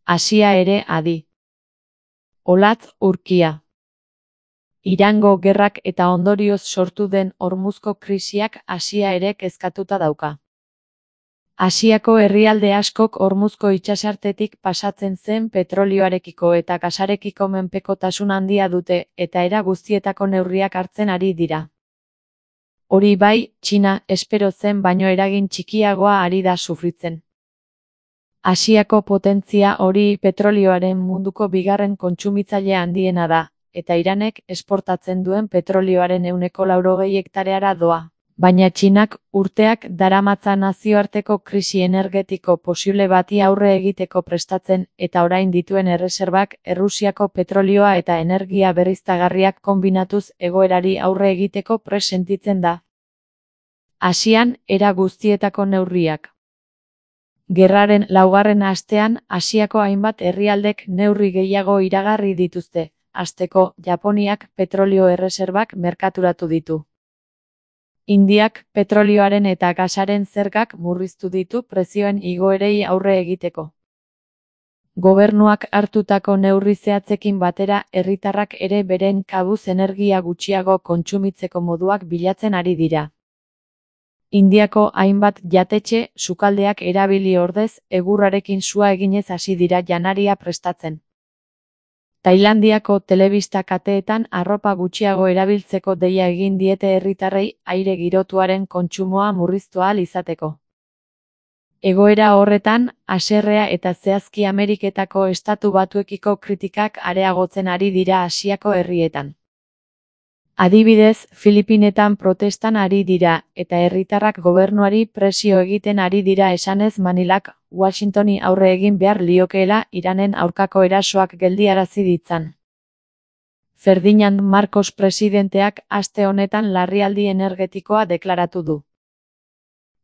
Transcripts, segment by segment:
Asia ere adi. Olatz urkia. Irango gerrak eta ondorioz sortu den Hormuzko krisiak Asia ere kezkatuta dauka. Asiako herrialde askok Hormuzko itsasartetik pasatzen zen petrolioarekiko eta gasarekiko menpekotasun handia dute eta era guztietako neurriak hartzen ari dira. Hori bai, Txina espero zen baino eragin txikiagoa ari da sufritzen. Asiako potentzia hori petrolioaren munduko bigarren kontsumitzaile handiena da, eta Iranek esportatzen duen petrolioaren 80 hektareara doa. Baina Txinak urteak daramatza nazioarteko krisi energetiko posible bati aurre egiteko prestatzen eta orain dituen erreserbak Errusiako petrolioa eta energia berriztagarriak konbinatuz egoerari aurre egiteko prest sentitzen da. Asian era guztietako neurriak. Gerraren 4. astean Asiako hainbat herrialdek neurri gehiago iragarri dituzte. Hasteko, Japoniak petrolio erreserbak merkaturatu ditu. Indiak petrolioaren eta gasaren zergak murriztu ditu prezioen igoerei aurre egiteko. Gobernuak hartutako neurri zehatzekin batera herritarrak ere beren kabuz energia gutxiago kontsumitzeko moduak bilatzen ari dira. Indiako hainbat jatetxe sukaldeak erabili ordez egurrarekin sua eginez hasi dira janaria prestatzen. Tailandiako telebista kateetan arropa gutxiago erabiltzeko deia egin diete herritarrei aire girotuaren kontsumoa murriztu ahal izateko. Egoera horretan, haserrea eta zehazki Ameriketako Estatu Batuekiko kritikak areagotzen ari dira Asiako herrietan. Adibidez, Filipinetan protestan ari dira, eta herritarrak gobernuari presio egiten ari dira esanez Manilak, Washingtoni aurre egin behar liokeela Iranen aurkako erasoak geldiarazi ditzan. Ferdinand Marcos presidenteak aste honetan larrialdi energetikoa deklaratu du.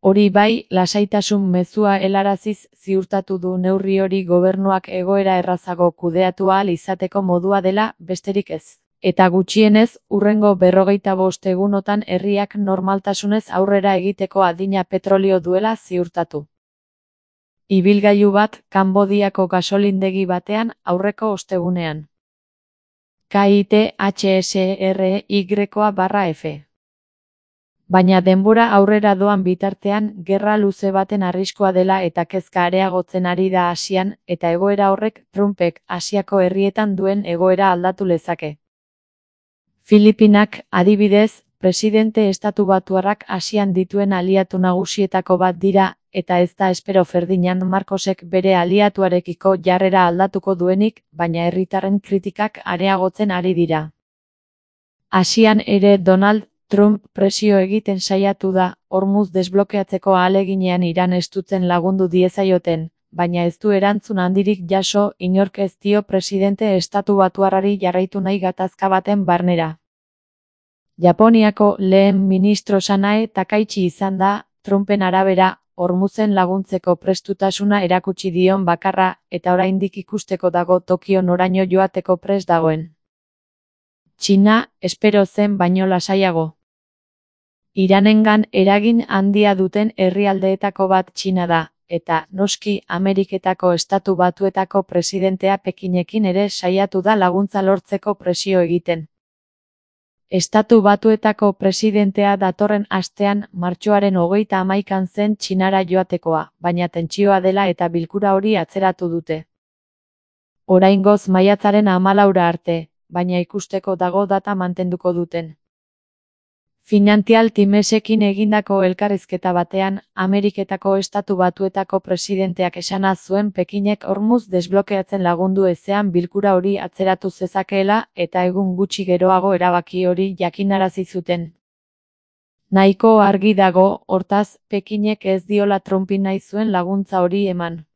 Hori bai, lasaitasun mezua helaraziz ziurtatu du neurri hori gobernuak egoera errazago kudeatu ahal izateko modua dela, besterik ez. Eta gutxienez, hurrengo 45 egunotan herriak normaltasunez aurrera egiteko adina petrolio duela ziurtatu. Ibilgailu bat Kanbodiako gasolindegi batean aurreko ostegunean. KITHSRY/F. Baina denbora aurrera doan bitartean gerra luze baten arriskua dela eta kezka areagotzen ari da Asian, eta egoera horrek Trumpek Asiako herrietan duen egoera aldatu lezake. Filipinak, adibidez, presidente estatubatuarrak Asian dituen aliatu nagusietako bat dira, eta ez da espero Ferdinand Marcosek bere aliatuarekiko jarrera aldatuko duenik, baina herritarren kritikak areagotzen ari dira. Asian ere Donald Trump presio egiten saiatu da, Hormuz desblokeatzeko ahaleginean Iran estutzen lagundu diezaioten, baina ez du erantzun handirik jaso, inork ez dio presidente estatubatuarrari jarraitu nahi gatazka baten barnera. Japoniako lehen ministro Sanae Takaichi izan da, Trumpen arabera, Hormuzen laguntzeko prestutasuna erakutsi dion bakarra, eta oraindik ikusteko dago Tokio noraino joateko prest dagoen. Txina, espero zen baino lasaiago. Iranengan eragin handia duten herrialdeetako bat Txina da, eta, noski, Ameriketako Estatu Batuetako presidentea Pekinekin ere saiatu da laguntza lortzeko presio egiten. Estatu Batuetako presidentea datorren astean martxoaren 31 zen Txinara joatekoa, baina tentsioa dela eta bilkura hori atzeratu dute. Oraingoz maiatzaren 14 arte, baina ikusteko dago data mantenduko duten. Financial Timesekin egindako elkarrizketa batean, Ameriketako Estatu Batuetako presidenteak esana zuen Pekinek Hormuz desblokeatzen lagundu ezean bilkura hori atzeratu zezakeela eta egun gutxi geroago erabaki hori jakinarazi zuten. Nahiko argi dago, hortaz, Pekinek ez diola Trumpi nahi zuen laguntza hori eman.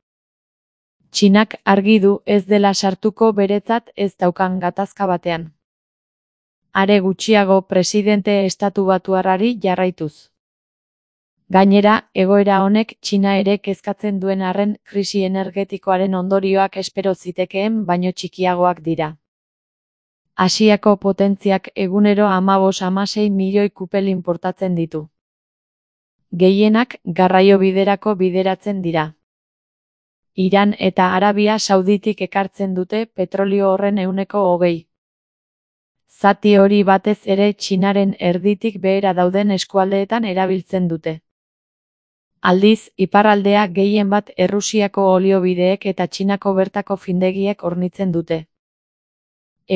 Txinak argi du ez dela sartuko beretzat ez daukan gatazka batean. Are gutxiago presidente estatubatuarrari jarraituz. Gainera, egoera honek Txina ere kezkatzen duen arren krisi energetikoaren ondorioak espero zitekeen baino txikiagoak dira. Asiako potentziak egunero 15-16 milioi kupel inportatzen ditu. Gehienak garraio biderako bideratzen dira. Iran eta Arabia Sauditik ekartzen dute petrolio horren 20%. Zati hori batez ere Txinaren erditik behera dauden eskualdeetan erabiltzen dute. Aldiz, iparraldea gehien bat Errusiako oliobideek eta Txinako bertako findegiek hornitzen dute.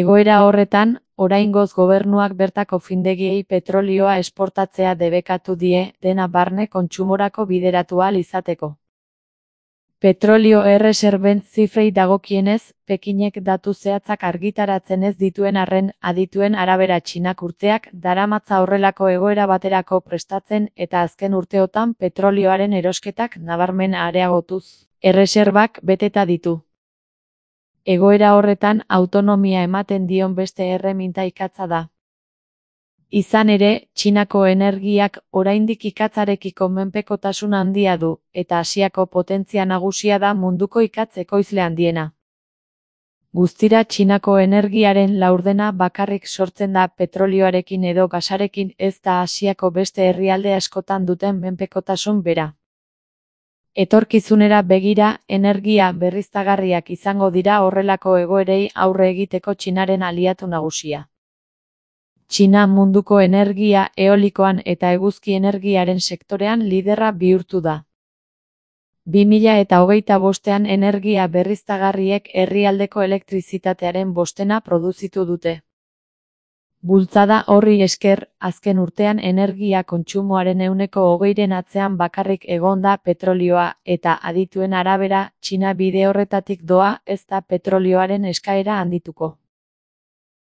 Egoera horretan, oraingoz gobernuak bertako findegiei petrolioa esportatzea debekatu die, dena barne kontsumorako bideratu ahal izateko. Petrolio erreserben zifrei dagokienez, Pekinek datu zehatzak argitaratzen ez dituen arren, adituen arabera Txinak urteak daramatza horrelako egoera baterako prestatzen eta azken urteotan petrolioaren erosketak nabarmen areagotuz, erreserbak beteta ditu. Egoera horretan autonomia ematen dion beste erreminta ikatza da. Izan ere, Txinako energiak oraindik ikatzarekiko menpekotasun handia du, eta Asiako potentzia nagusia da munduko ikatz ekoizle handiena. Guztira Txinako energiaren laurdena bakarrik sortzen da petrolioarekin edo gasarekin, ez da Asiako beste herrialde askotan duten menpekotasun bera. Etorkizunera begira, energia berriztagarriak izango dira horrelako egoerei aurre egiteko Txinaren aliatu nagusia. Txina munduko energia eolikoan eta eguzki energiaren sektorean liderra bihurtu da. 2025ean energia berriztagarriek herrialdeko elektrizitatearen 5% produzitu dute. Bultzada horri esker, azken urtean energia kontsumoaren 20%ren atzean bakarrik egon da petrolioa, eta adituen arabera, Txina bide horretatik doa, ez da petrolioaren eskaera handituko.